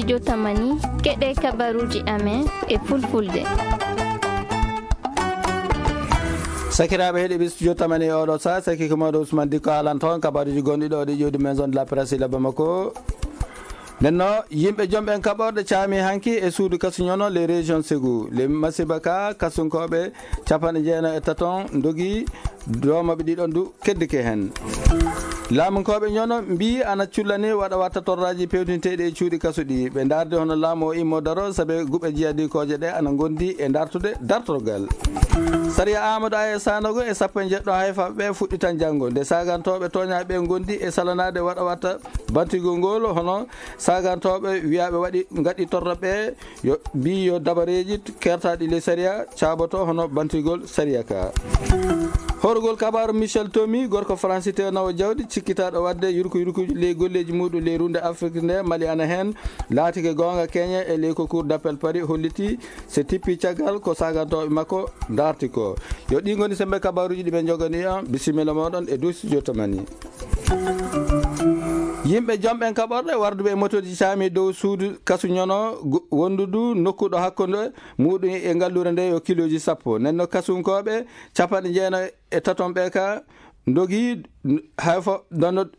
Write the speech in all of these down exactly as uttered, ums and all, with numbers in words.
Studio Tamani, keɗee kabaruuji amen e fulfulde. Sakiraaɓe heɗiiɓe Studio Tamani e oɗo saa, saki ko mawɗo Usman Dikko haalanta on kabaruuji gonɗi ɗo ɗi ƴiwdi maison de la presse ila Bamako. Nden no yimɓe jom ɓen kaɓorɗe caami hanki e suudu kasu ñono les régions Ségou. Les masiba ka kasunkooɓe capanɗe jeenayi e taton ndogi, doo maɓɓe ɗiɗon du keddike hen. Laamunkooɓe ñono mbii ana cullani waɗa watta torraaji pewtinteeɗi e cuuɗi kasu ɗi. Ɓe ndaardi hono laamu o immo daro sabe guɓe jiyadinkooje ɗe ana ngondi e dartude dartorgal. Sariya Amadou Aya Sanogo e sappo e jeɗɗo hayfaaɓe ɓe fuɗɗitan janngo. Nde saagantooɓe tooñaaɓe ɓe ngondi e salanaade waɗa watta bantigol ngol hono saagantooɓe wiyaaɓe waɗi ngaɗi torra ɓe yo mbii yo dabareeji kertaaɗi ley sariya caaboto hono bantigol sariya ka. Horgol kabaaru Michel Tomi, gorko Faransi tewnawo jawdi, cikkitaaɗo waɗde yurku yurkuuji ley golleeji muuɗum ley ruunde Afrik nde, Mali ana heen, laatike goonga Kenya e ley ko Cour d'appel Paris hollitii se tippi caggal ko saagantooɓe makko ndaarti ko. Yo ɗii ngoni semmbe kabaaruuji ɗi ɓe njoganii on, bisimilla mooɗon e dow studio Tamani. Yimɓe jom ɓen kaɓorɗe warduɓe e motooji caami dow suudu kasu ñono go-, wondudu nokku ɗo hakkunde muuɗum e ngalluure nde yo kilooji sappo. Nden no kasunkooɓe capanɗe jeenayi e taton ɓe ka ndogi hay fo-, donno-,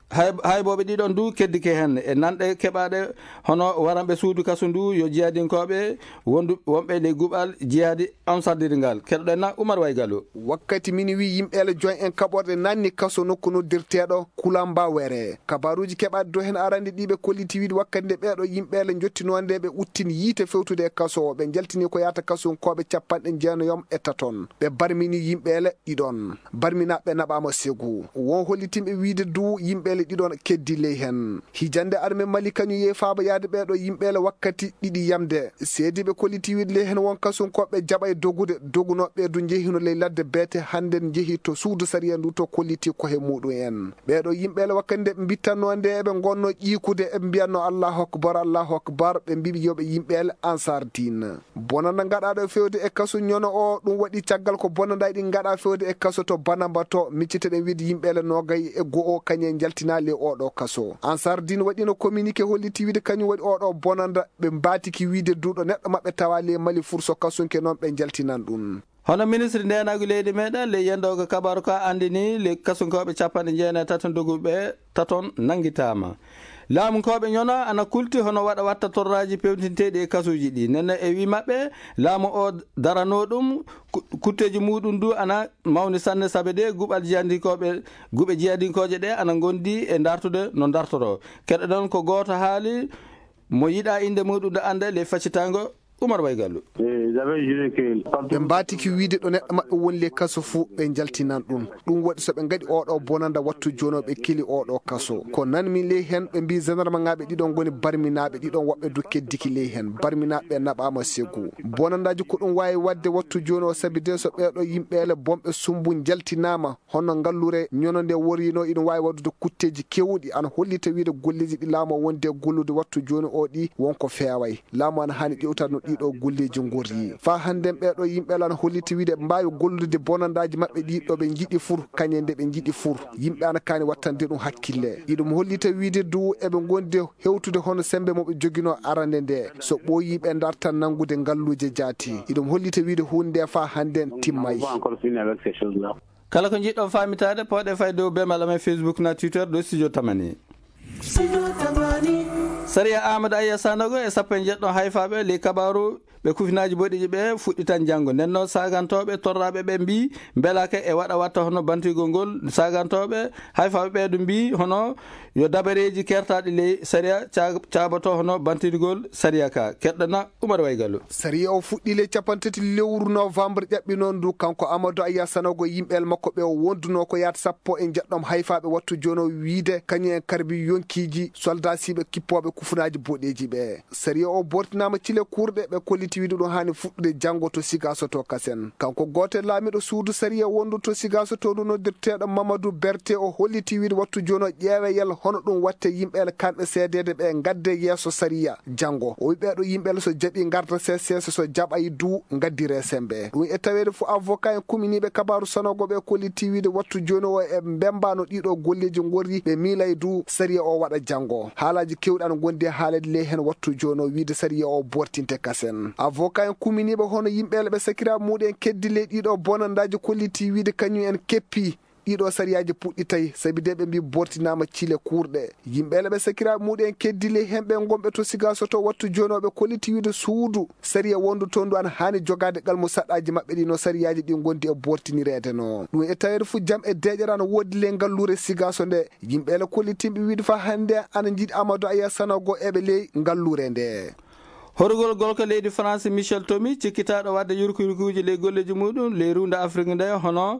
hay, haybooɓe ɗiɗon du keddike hen. E nanɗe keɓaaɗe hono waranɓe suudu kasu ndu yo jihadinkooɓe wondu-, wonɓe ley guɓal jihadi Ansardirgal. Keɗoɗen na Umar Way Gallo. Wakkati minuit yimɓeele joy en kaɓorɗe nanni kaso nokku noddirteeɗo Kulamba Were. Kabaaruuji keɓaaɗi dow hen arande ɗi ɓe kolliti wiide wakkati nde ɓeeɗo yimɓeele njottinoo nde ɓe uttini yiite fewtude e kaso o, ɓe njaltini ko yaata kasunkooɓe capanɗe jeenayom e taton. Ɓe barmini yimɓeele ɗiɗon. Barminaaɓe naɓaama segu. Won hollitinɓe wiide du yimɓeele ɗiɗon keddi ley hen. Hijande arme Mali kañum yehi faaba yaade ɓeeɗo yimɓeele wakkati ɗiɗi yamde. Seediiɓe kolliti wiide ley hen won kasunkooɓe jaɓay dogude, dogunooɓe ɓe du njehino ley ladde beete hannden njehi to suudu sariya ndu to kolliti kohe muuɗum en. Ɓeeɗo yimɓeele wakkati nde ɓe mbittannoo nde eɓe ngonnoo ƴiikude eɓe mbiyannoo Allahu akbar, Allahu akbar, ɓe mbiɓe yo ɓe yimɓeele Ansar Diin. Bonanda gaɗaaɗo fewde e kaso ñono o, ɗum waɗi caggal ko bonandaaji ɗi gaɗaa fewde e kaso to Banamba to, micciteɗen wiide yimɓeele noogay e go'o kañum en njaltinaa ley oo ɗoo kaso. Ansar Diin waɗino communiqué holliti wiide kañum waɗi oo ɗoo bonanda, ɓe mbaatiki wiide du ɗo neɗɗo maɓɓe tawaa ley Mali fur so kasunke noon ɓe njaltinan ɗum. Hono ministre ndeenaagu leydi meɗen ley yendoogo kabaaru ka anndini ley kasunkooɓe capanɗe jeenayi e taton doguɓe taton nanngitaama. Laamunkooɓe ñono ana kulti hono waɗa watta torraaji pewtinteeɗi e kasuuji ɗi. Nenne e wii maɓɓe, laamu o daranoo ɗum, ku-, kutteeji muuɗum du ana mawni sanne, sabe de guɓal jiyadinkooɓe, guɓe jiyadinkooje ɗe ana ngondi e dartude no dartoroo. Keɗoɗon ko gooto haali mo yiɗaa innde muuɗum nde annda ley faccitaango Umar Way Gallo. Ɓe mbaatiki wiide ɗo neɗɗo maɓɓe woni ley kaso fuu, ɓe njaltinan ɗum. Ɗum waɗi so ɓe ngaɗi oo ɗoo bonanda wattu jooni o ɓe keli oo ɗoo kaso. Ko nanmi ley heen, ɓe mbii jandarmaŋaaɓe ɗiɗon ngoni barminaaɓe, ɗiɗon woɓɓe du keddiki ley heen. Barminaaɓe ɓe naɓaama segu. Bonandaaji ko ɗum waawi waɗde wattu jooni o, sabi de so ɓee ɗoo yimɓeele bonɓe sumbu njaltinaama, hono ngalluure ñono nde woriino, iɗum waawi waɗude kutteeji keewɗi. Ana hollita wiide golleeji ɗi laamu o wondi e gollude wattu jooni o ɗi, won ko feeway. Laamu ana haani ƴeewtaade no ɗii ɗoo golleeji ngorri. Faa hannden ɓee ɗoo yimɓe ana hollita wiide eɓe mbaawi gollude bonandaaji maɓɓe ɗi ɗo ɓe njiɗi fur, kañe nde ɓe njiɗi fur. Yimɓe ana kaani wattande ɗum hakkille. Iɗum hollita wiide du eɓe ngondi hewtude hono semmbe mo ɓe joginoo arande nde. So ɓooyii ɓe ndartan nanngude ngalluuje jaati. Iɗum hollita wiide huunde nde faa hannden timmay. Kala ko njiɗɗon faamitaade, pooɗee fay dow beemal amen Facebook naa Twitter dow Studio Tamani. Sariya Aamadu Ayya Sanogo e sappo e jeɗɗo hayfaaɓe ley kabaaru ɓe kufinaaji boɗeeji ɓe fuɗɗitan janngo. Nden noon, saagantooɓe torraaɓe ɓe mbii mbelaaka e waɗa watta hono bantigol ngol. Saagantooɓe hayfaaɓe ɓe du mbii hono yo dabareeji kertaaɗi ley sariya ca-, caaboto hono bantigol sariya ka. Keɗɗana Umar Way Gallo. Sariya o fuɗɗii ley cappanɗe tati lewru novembre ƴaɓɓinoo ndu. Kanko Amadou Ayya Sanogo e yimɓe el makko ɓe o wondunoo ko yaata sappo e njeɗɗo hayfaaɓe wattu jooni o wiide kañum en karbi yonkiiji soldaasiiɓe kippooɓe kufunaaji boɗeeji ɓe. Sariya o bortinaama cile kuurɗe ɓe kolliti hollitii wiide ɗum haani fuɗɗude janngo to Sigaaso to kasen. Kanko gooto e laamiiɗo suudu sariya wondu to Sigaaso to ndu noddirteeɗo Mamadu Berte, o hollitii wiide wattu jooni o ƴeewee yalla hono ɗum watte yimɓe ele kamɓe seedeede ɓe ngadde yeeso sariya janngo. O wii ɓeeɗo yimɓe ele so jaɓii ngarda seeseese, so jaɓaay duu ngaddiree semmbe. Ɗum e taweede fuu avocat en kuminiiɓe kabaaru sanagooɓe ɓe kollitii wiide wattu jooni o e mbemmbaano ɗiiɗoo golleeji ngorri ɓe miilay duu sariya o waɗa janngo. Haalaaji keewɗi ana ngondi e haaleede ley heen wattu jooni o wiide sariya o boortinte kasen. Avocat en kuminiiɓe hono yimɓe ele ɓe sakiraaɓe muuɗum en keddi ley ɗiiɗoo bonandaaji kollitii wiide kañum en keppii ɗiiɗoo sariyaaji puɗɗitay, sabi de ɓe mbii boortinaama cile kuurɗe. Yimɓe ele ɓe sakiraaɓe muuɗum en keddi ley heen ɓe ngonɓe to Sigaaso to wattu jooni o ɓe kollitii wiide suudu sariya wondu toon ndu ana haani jogaade qalmusaɗaaji maɓɓe ɗi no sariyaaji ɗi ngondi e boortinireede no. Ɗum e taweede fuu jam e deeƴere ana woodi ley ngalluure Sigaaso nde. Yimɓe ele kollitinɓe wiide faa hannde ana njiɗi Amadou Aya Sanogo e ɓe ley ngalluure nde. Horugol golko leydi France Michel Tomy, cikkitaaɗo waɗde yurkuyurkuuji ley golleeji muuɗum ley ruwnde Afrik nde, hono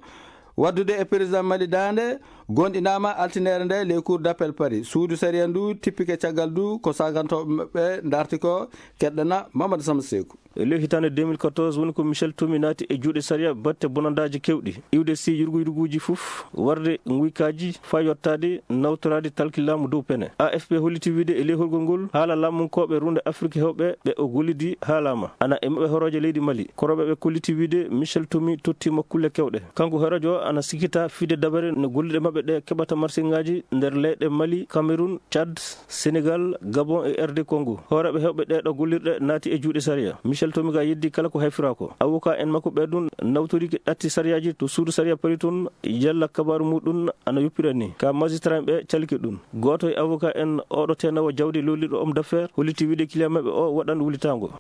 waɗdude e président Mali daande, goonɗinaama altineere nde ley Cour d'appel Paris. Suudu sariya ndu tippike caggal ndu ko saagantooɓe maɓɓe ndarti ko. Keɗɗana Mamadou Samba Seeku. E ley hitaande deux mille quatorze woni ko Michel Tomy naati e juuɗe sariya batte bonandaaji keewɗi. Iwde sii yurguyurguuji fof, warde nguykaaji faa yottaade nawtoraade talki laamu dow pene. A F P hollitii wiide e ley horgol ngol, haala laamunkooɓe ruunde Afrik heewɓe ɓe o gollidi haalaama. Ana e maɓɓe horooje leydi Mali. Korooɓe ɓe kollitii wiide Michel Tomy tottiima kulle keewɗe. Kanko horoojo o ana sikkitaa fide dabare no golliiɓe maɓɓe ɓe keɓata marsiŋaaji nder leyɗe Mali, Cameroun, Tchad, Senegal, Gabon e R D Congo. Hooreeɓe heewɓe ɗee ɗoo gollirɗe naati e juuɗe sariya. Michel Tomy gaa yeddii kala ko hayfiraa ko. Avocat en makko ɓee ɗum nawtorike ɗatti sariyaaji to suudu sariya Paris toon, yalla kabaaru muuɗum ana yoppira nii. Kaa magistrat en ɓee calike ɗum. Gooto e avocat en oo ɗoo teenoowo jawdi lollirɗo homme d'affaires hollitii wiide client maɓɓe oo waɗan wulitaango.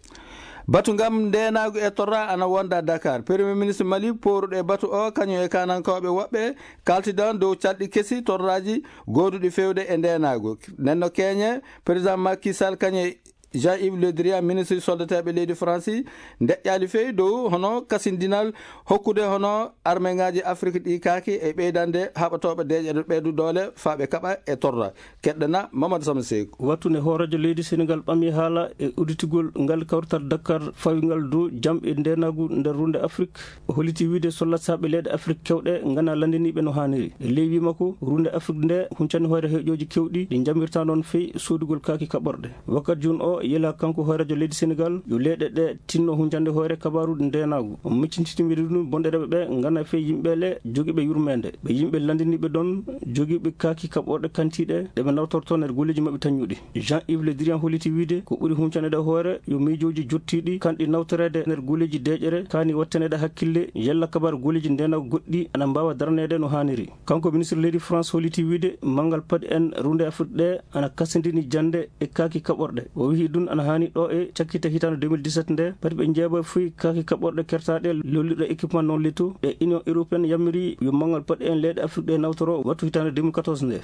Batu ngam ndeenaagu e torra ana wonda Dakar. Premier ministre Mali pooruɗo e batu oo, kañum e kaanankooɓe woɓɓe, kaaltidan dow calɗi kesi torraaji gooduɗi feewde e ndeenaagu. Nden no keñe, président Macky Sall kañum e Jean-Yves Le Drian, ministre soldateeɓe leydi Faransi, ndeƴƴaali fey dow hono kasindinal hokkude hono armeŋaaji Afrik ɗi kaaki e ɓeydande haɓatooɓe deeƴere ɓeydu doole faa ɓe kaɓa e torra. Keɗɗana Mamadou Sama Seyku. Wattu nde hooreejo leydi Senegal ɓami haala e udditigol ngal kawrital Dakar fawingal dow jam e ndeenaagu nder ruunde Afrik, o hollitii wiide sollasaaɓe leyɗe Afrik kewɗe nganaa lanndiniiɓe no haaniri. E ley wii makko, ruunde Afrik nde huncani hoore heƴooji kewɗi ɗi njambirtaa noon fey soodugol kaaki kaɓorɗe. Wakkati jooni o yelaa kanko hooreejo leydi Senegal yo leyɗe ɗe tinno huncande hoore kabaaru ndeenaagu. O miccintini wiide ɗum bonɗereeɓe ɓe nganaa fey yimɓe le jogiiɓe yurmeende. Ɓe yimɓe lanndiniiɓe ɗon jogiiɓe kaaki kaɓorɗe kantiiɗe ɗe ɓe nawtortoo nder golleeji maɓɓe tañuɗi. Jean-Yves Le Drian hollitii wiide ko ɓuri huncaneede hoore yo miijooji jottiiɗi kanɗi nawtoreede nder golleeji deeƴere kaani wattaneede hakkille yalla kabaaru golleeji ndeenaagu goɗɗi ana mbaawa daraneede no haaniri. Kanko ministre leydi France hollitii wiide manngal paɗe en ruunde Afrik ɗe ana kasindini jannde e kaaki kaɓorɗe. O wiyi ɗum ana haani ɗo e cakkite hitaande deux mille dix-sept nde, pati ɓe njeeɓa fuy kaaki kaɓorɗe kertaaɗe lollirɗe équipement non létaux ɗe Union européenne yamiri yo manngal paɗe en leyɗe Afrik ɗe nawtoro wattu hitaande deux mille quatorze nde.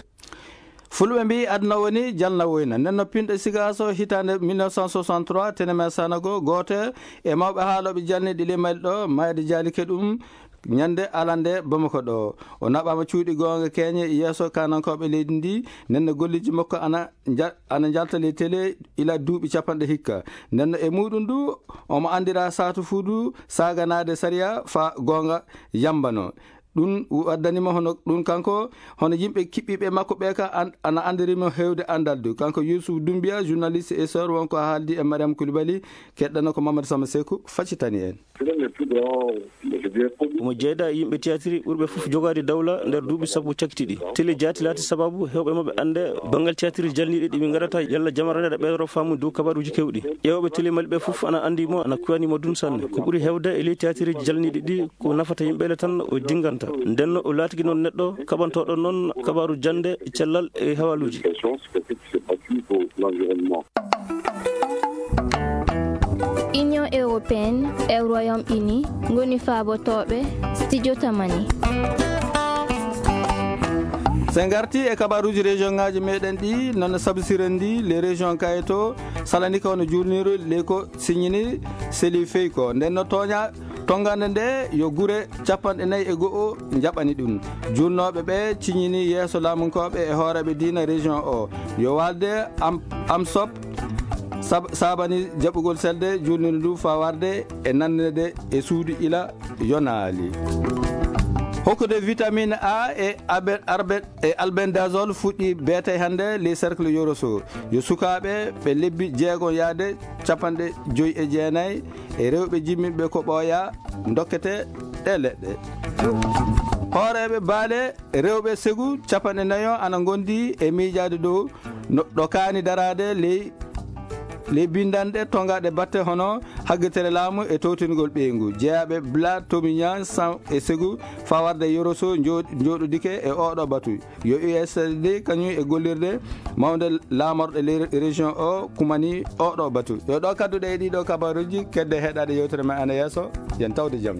Fulɓe mbii aduna woni jalna woyna. Nden no pinɗo Sigaaso hitaande mille neuf cent soixante-trois, Teneme Sanogo, gooto e mawɓe haalooɓe jalniiɗi ley Mali ɗo, mayde jaalike ɗum ñannde alande Bamako ɗo. O naɓaama cuuɗi goonga keeñe yeeso kaanankooɓe leydi ndi, nden no golleeji makko ana nja-, ana njalta ley tele ila duuɓi capanɗe hikka. Nden no e muuɗum du, omo anndiraa saatu fuu du saaganaade sariya faa goonga yambanoo. Ɗum waddani mo hono ɗum kanko, hono yimɓe kiɓɓiiɓe makko ɓee ka an-, ana anndiri mo heewde anndal du. Kanko Youssouf Doumbia, journaliste e sor, won ko haaldi e Mariam Koulibaly, keɗɗano ko Mamadou Sama Seku faccitani en. Omo jeedaa e yimɓe tiyatiri ɓurɓe fof jogaade dawla nder duuɓi sappo cakiti ɗi. Tele jaati laati sababu heewɓe maɓɓe annde banngal tiyatiri jalniiɗi ɗi min ngarata yalla jamaraneɗe ɓeydoro faamu dow kabaruuji keewɗi. Ƴeewooɓe tele Mali ɓe fof ana anndi mo, ana kuyani mo dun sanne. Ko ɓuri heewde e ley tiyatiriiji jalniiɗi ɗi ko nafata yimɓe le tan o dinnganta. Nden no o laatigi noon neɗɗo kaɓantooɗo noon kabaaru jannde, cellal e hawaluuji. Union européenne e Royaume-Uni ngoni faabotooɓe studio Tamani. So en ngartii e kabaaruuji région ŋaaji meɗen ɗi, noon no Sabu Siren ndi, les régions Kayeto, Salanika hono juulniiru, ley ko siñini Seli Feyko. Nden no tooña Tonngande nde yo gure capanɗe nayi e go'o njaɓani ɗum. Juulnooɓe ɓee ciñinii yeeso laamunkooɓe e hooreeɓe diina région oo yo waalde am, am sop Sab- saabani jaɓugol selde, juulnude ndu faa warde e nanneede e suudu ila yonaali. Hokkude vitamine A e abe- arbe- e albendazole fuɗɗii beetee hannde ley cercle Yoroso. Yo sukaaɓe ɓe lebbi jeegom yaade cappanɗe joy e jeenay e rewɓe jimmiiɓe ko ɓooyaa ndokkete ɗee leɗɗe. Hooreeɓe baale rewɓe segu cappanɗe nayo ana ngondi e miijaade dow no ɗo kaani daraade ley ley binndanɗe tonngaɗe batte hono haggitere laamu e towtingol ɓeyngu. Jeyaaɓe Bla Tomiña San e Segu faa warde Yoroso njo- njooɗodike e oɗo batu. Yo U S D kañum e gollirde mawnde laamorɗe ley région o kumani oɗo batu. Yo ɗo kadduɗe e ɗiɗo kabaruuji kedde heɗaade yewtere men ana yeeso. Yen tawde jam.